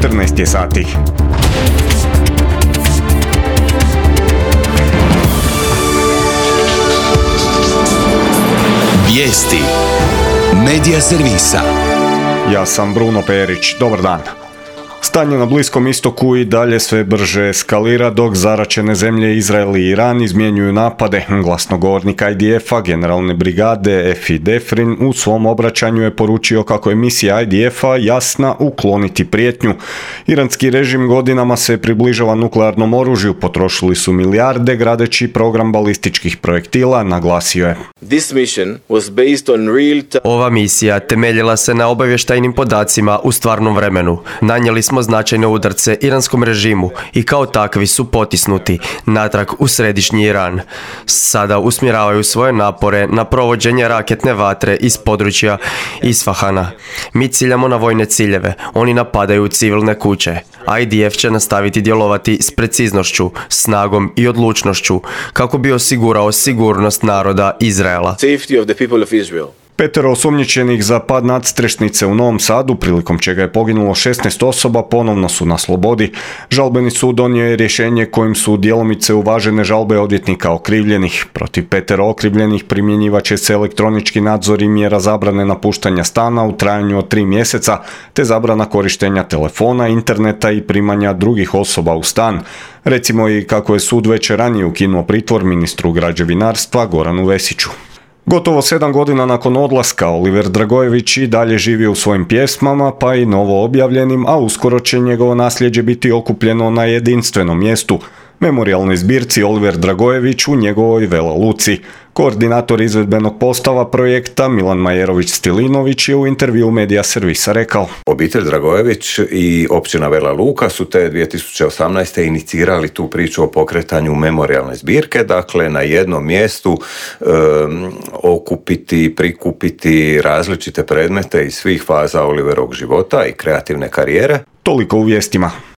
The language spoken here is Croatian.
14 je sati. Vijesti Medija servisa. Ja sam Bruno Perić, dobar dan. Stanje na Bliskom istoku i dalje sve brže eskalira dok zaraćene zemlje Izrael i Iran izmjenjuju napade. Glasnogovornik IDF-a, generalne brigade Efi Defrin, u svom obraćanju je poručio kako je misija IDF-a jasna ukloniti prijetnju. Iranski režim godinama se približava nuklearnom oružju, potrošili su milijarde gradeći program balističkih projektila, naglasio je. Ova misija temeljila se na obavještajnim podacima u stvarnom vremenu. Nanijeli smo značajne udarce iranskom režimu i kao takvi su potisnuti natrag u središnji Iran. Sada usmjeravaju svoje napore na provođenje raketne vatre iz područja Isfahana. Mi ciljamo na vojne ciljeve, oni napadaju civilne kuće. IDF će nastaviti djelovati s preciznošću, snagom i odlučnošću kako bi osigurao sigurnost naroda Izraela. 5 osumnjičenih za pad nadstrešnice u Novom Sadu, prilikom čega je poginulo 16 osoba, ponovno su na slobodi. Žalbeni sud donio je rješenje kojim su djelomice uvažene žalbe odvjetnika okrivljenih. Protiv 5 okrivljenih primjenjivat će se elektronički nadzor i mjera zabrane napuštanja stana u trajanju od 3 mjeseca, te zabrana korištenja telefona, interneta i primanja drugih osoba u stan. Recimo i kako je sud već ranije ukinuo pritvor ministru građevinarstva Goranu Vesiću. Gotovo 7 godina nakon odlaska, Oliver Dragojević i dalje živi u svojim pjesmama, pa i novo objavljenim, a uskoro će njegovo nasljeđe biti okupljeno na jedinstvenom mjestu, memorijalnoj zbirci Oliver Dragojević u njegovoj Vela Luci. Koordinator izvedbenog postava projekta Milan Majerović-Stilinović je u intervjuu Medija servisa rekao: Obitelj Dragojević i općina Vela Luka su te 2018. inicirali tu priču o pokretanju memorijalne zbirke, dakle na jednom mjestu okupiti, prikupiti različite predmete iz svih faza Oliverovog života i kreativne karijere. Toliko u vijestima.